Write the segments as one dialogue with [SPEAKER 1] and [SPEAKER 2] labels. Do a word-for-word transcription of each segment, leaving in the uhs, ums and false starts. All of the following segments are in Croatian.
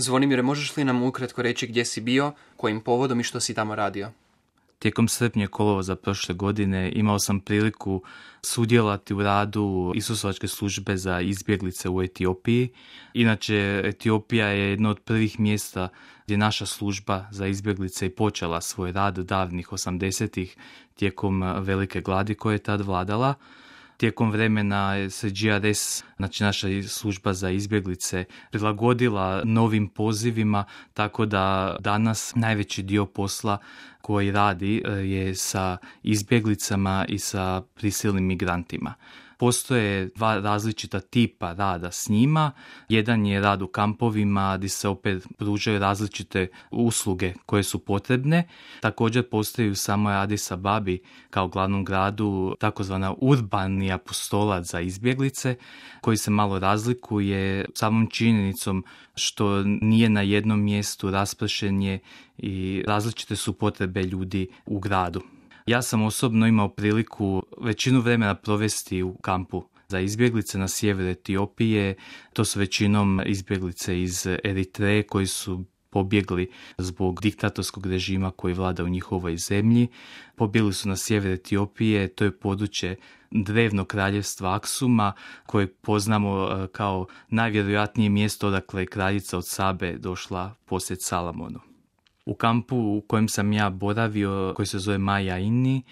[SPEAKER 1] Zvonimire, možeš li nam ukratko reći gdje si bio, kojim povodom i što si tamo radio?
[SPEAKER 2] Tijekom srpnja i kolovoza prošle godine imao sam priliku sudjelovati u radu Isusovačke službe za izbjeglice u Etiopiji. Inače, Etiopija je jedno od prvih mjesta gdje naša služba za izbjeglice i počela svoj rad davnih osamdesetih tijekom velike gladi koja je tad vladala. Tijekom vremena se G R S, znači naša služba za izbjeglice, prilagodila novim pozivima, tako da danas najveći dio posla koji radi je sa izbjeglicama i sa prisilnim migrantima. Postoje dva različita tipa rada s njima. Jedan je rad u kampovima gdje se opet pružaju različite usluge koje su potrebne. Također postoji u samoj Adis Ababi kao glavnom gradu takozvana urbani apostolac za izbjeglice koji se malo razlikuje samom činjenicom što nije na jednom mjestu, raspršen je i različite su potrebe ljudi u gradu. Ja sam osobno imao priliku većinu vremena provesti u kampu za izbjeglice na sjeveru Etiopije. To su većinom izbjeglice iz Eritreje koji su pobjegli zbog diktatorskog režima koji vlada u njihovoj zemlji. Pobjegli su na sjever Etiopije, to je područje drevnog kraljevstva Aksuma, koje poznamo kao najvjerojatnije mjesto odakle je kraljica od Sabe došla posjet Salamonu. U kampu u kojem sam ja boravio, koji se zove Maja Inni,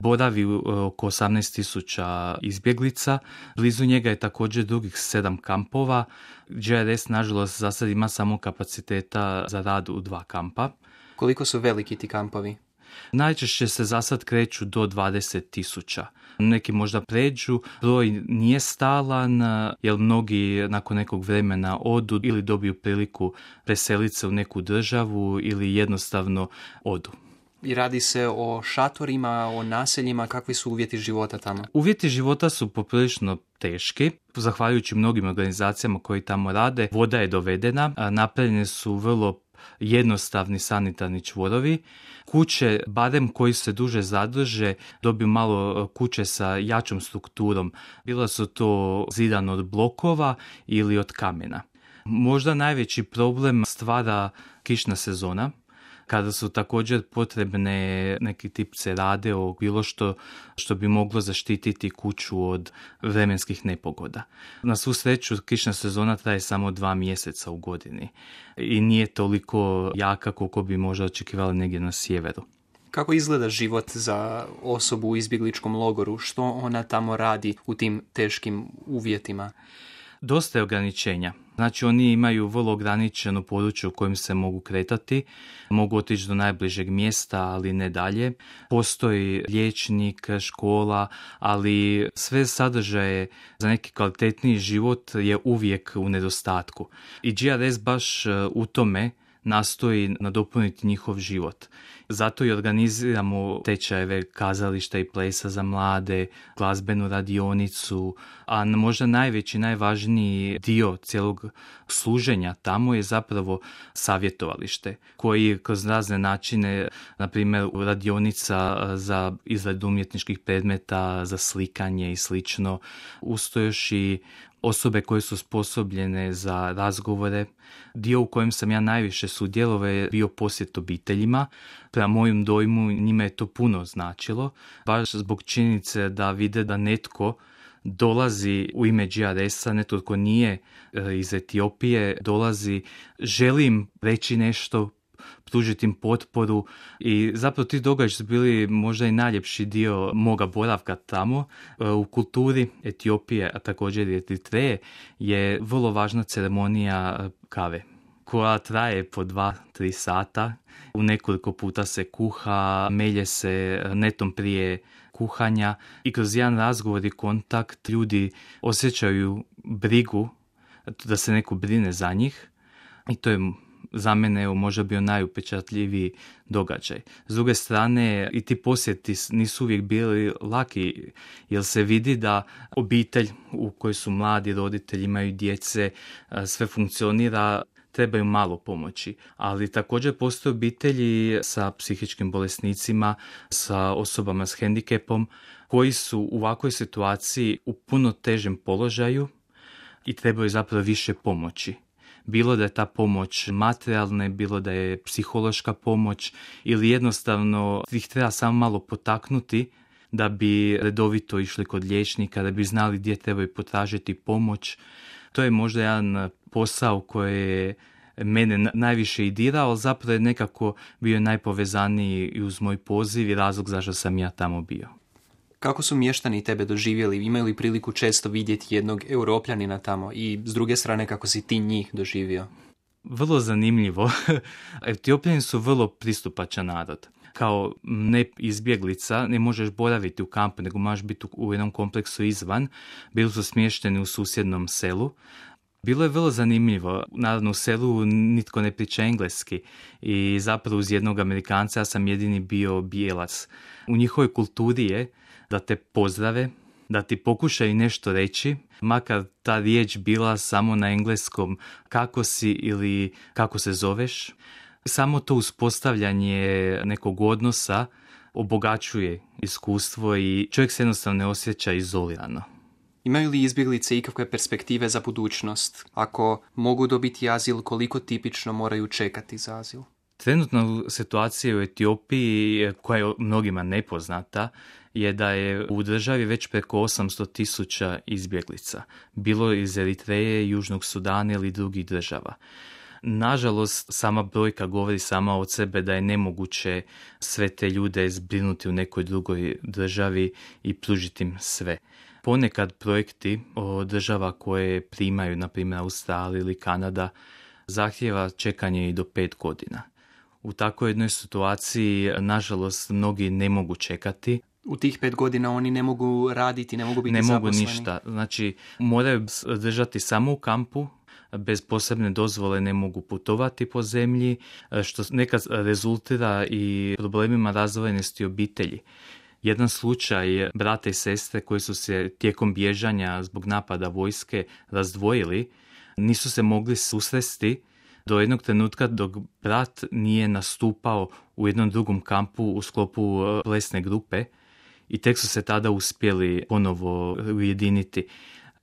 [SPEAKER 2] boravi oko osamnaest tisuća izbjeglica. Blizu njega je također drugih sedam kampova. G R S, nažalost, za sad ima samo kapaciteta za rad u dva kampa.
[SPEAKER 1] Koliko su veliki ti kampovi?
[SPEAKER 2] Najčešće se za sad kreću do dvadeset tisuća. Neki možda pređu, broj nije stalan, jer mnogi nakon nekog vremena odu ili dobiju priliku preseliti se u neku državu ili jednostavno odu.
[SPEAKER 1] I radi se o šatorima, o naseljima, kakvi su uvjeti života tamo?
[SPEAKER 2] Uvjeti života su poprilično teški, zahvaljujući mnogim organizacijama koji tamo rade. Voda je dovedena, napravljene su vrlo jednostavni sanitarni čvorovi. Kuće, barem koji se duže zadrže, dobiju malo kuće sa jačom strukturom. Bila su to zidane od blokova ili od kamena. Možda najveći problem stvara kišna sezona, kada su također potrebne neki tip cerade o bilo što što bi moglo zaštititi kuću od vremenskih nepogoda. Na svu sreću, kišna sezona traje samo dva mjeseca u godini i nije toliko jaka koliko bi možda očekivali negdje na sjeveru.
[SPEAKER 1] Kako izgleda život za osobu u izbjegličkom logoru? Što ona tamo radi u tim teškim uvjetima?
[SPEAKER 2] Dosta je ograničenja. Znači oni imaju vrlo ograničeno područje u kojem se mogu kretati, mogu otići do najbližeg mjesta, ali ne dalje. Postoji liječnik, škola, ali sve sadržaje za neki kvalitetniji život je uvijek u nedostatku. I G R S baš u tome nastoji nadopuniti njihov život. Zato i organiziramo tečajeve kazališta i plesa za mlade, glazbenu radionicu, a možda najveći, najvažniji dio cijelog služenja tamo je zapravo savjetovalište, koji kroz razne načine, na primjer radionica za izradu umjetničkih predmeta, za slikanje i slično, usto još i osobe koje su sposobljene za razgovore. Dio u kojem sam ja najviše sudjelovao je bio posjet obiteljima. Prema mojem dojmu njima je to puno značilo, baš zbog činjenice da vide da netko dolazi u ime G R S-a, netko tko nije iz Etiopije, dolazi, želi im reći nešto, pružiti im potporu i zapravo ti događaji su bili možda i najljepši dio moga boravka tamo. U kulturi Etiopije, a također i Eritreje, je vrlo važna ceremonija kave koja traje po dva, tri sata. U nekoliko puta se kuha, melje se netom prije kuhanja i kroz jedan razgovor i kontakt ljudi osjećaju brigu, da se neko brine za njih i to je za mene evo, možda bio najupečatljiviji događaj. S druge strane, i ti posjeti nisu uvijek bili laki, jer se vidi da obitelj u kojoj su mladi roditelji, imaju djece, sve funkcionira, trebaju malo pomoći. Ali također postoje obitelji sa psihičkim bolesnicima, sa osobama s hendikepom, koji su u ovakvoj situaciji u puno težem položaju i trebaju zapravo više pomoći. bilo da je ta pomoć materijalna, bilo da je psihološka pomoć ili jednostavno ih treba samo malo potaknuti da bi redovito išli kod liječnika, da bi znali gdje trebaju potražiti pomoć. To je možda jedan posao koji je mene najviše i dirao, ali zapravo je nekako bio najpovezaniji i uz moj poziv i razlog zašto sam ja tamo bio.
[SPEAKER 1] Kako su mještani tebe doživjeli? Imaju li priliku često vidjeti jednog Europljanina tamo? I s druge strane, kako si ti njih doživio?
[SPEAKER 2] Vrlo zanimljivo. Etiopljani su vrlo pristupačan narod. Kao ne izbjeglica ne možeš boraviti u kampu, nego možeš biti u jednom kompleksu izvan. Bili su smješteni u susjednom selu. Bilo je vrlo zanimljivo. Naravno, u selu nitko ne priča engleski i zapravo uz jednog Amerikanca ja sam jedini bio bijelac. U njihovoj kulturi je da te pozdrave, da ti pokušaju nešto reći, makar ta riječ bila samo na engleskom kako si ili kako se zoveš. Samo to uspostavljanje nekog odnosa obogaćuje iskustvo i čovjek se jednostavno ne osjeća izolirano.
[SPEAKER 1] Imaju li izbjeglice ikakve perspektive za budućnost? Ako mogu dobiti azil, koliko tipično moraju čekati za azil?
[SPEAKER 2] Trenutna situacija u Etiopiji, koja je mnogima nepoznata, je da je u državi već preko osamsto tisuća izbjeglica. Bilo iz Eritreje, Južnog Sudana ili drugih država. Nažalost, sama brojka govori sama od sebe da je nemoguće sve te ljude zbrinuti u nekoj drugoj državi i pružiti im sve. Ponekad projekti od država koje primaju, na primjer Australija ili Kanada, zahtijeva čekanje i do pet godina. U takvoj jednoj situaciji, nažalost, mnogi ne mogu čekati.
[SPEAKER 1] U tih pet godina oni ne mogu raditi, ne mogu biti
[SPEAKER 2] ne
[SPEAKER 1] zaposleni?
[SPEAKER 2] Ne mogu ništa. Znači, moraju držati samo u kampu, bez posebne dozvole ne mogu putovati po zemlji, što nekad rezultira i problemima razdvojenosti obitelji. Jedan slučaj brata i sestre koji su se tijekom bježanja zbog napada vojske razdvojili, nisu se mogli susresti do jednog trenutka dok brat nije nastupao u jednom drugom kampu u sklopu plesne grupe i tek su se tada uspjeli ponovo ujediniti.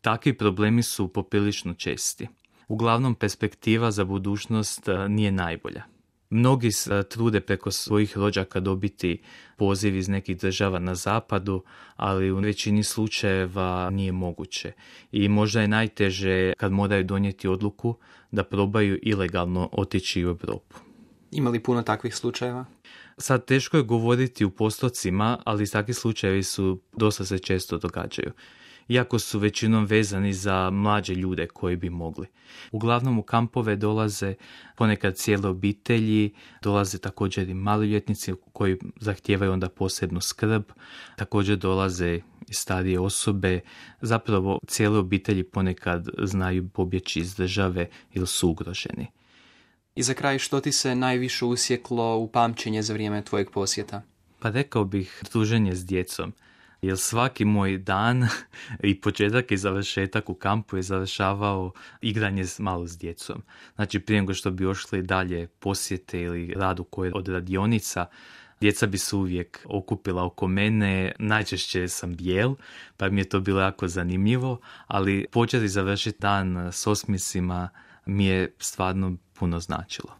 [SPEAKER 2] Takvi problemi su poprilično česti. Uglavnom, perspektiva za budućnost nije najbolja. Mnogi se trude preko svojih rođaka dobiti poziv iz nekih država na zapadu, ali u većini slučajeva nije moguće. I možda je najteže kad moraju donijeti odluku da probaju ilegalno otići u Europu.
[SPEAKER 1] Ima li puno takvih slučajeva?
[SPEAKER 2] Sad teško je govoriti u postocima, ali takvi slučajevi su dosta se često događaju. Iako su većinom vezani za mlađe ljude koji bi mogli. Uglavnom u kampove dolaze ponekad cijele obitelji, dolaze također i maloljetnici koji zahtijevaju onda posebnu skrb, također dolaze i starije osobe, zapravo cijele obitelji ponekad znaju pobjeći iz države ili su ugroženi.
[SPEAKER 1] I za kraj, što ti se najviše usjeklo u pamćenje za vrijeme tvojeg posjeta?
[SPEAKER 2] Pa rekao bih druženje s djecom. Jer svaki moj dan i početak i završetak u kampu je završavao igranje malo s djecom. Znači prije nego što bi ošli dalje posjete ili rad u kojoj od radionica, djeca bi se uvijek okupila oko mene, najčešće sam bijel, pa mi je to bilo jako zanimljivo, ali početi i završiti dan s osmjesima mi je stvarno puno značilo.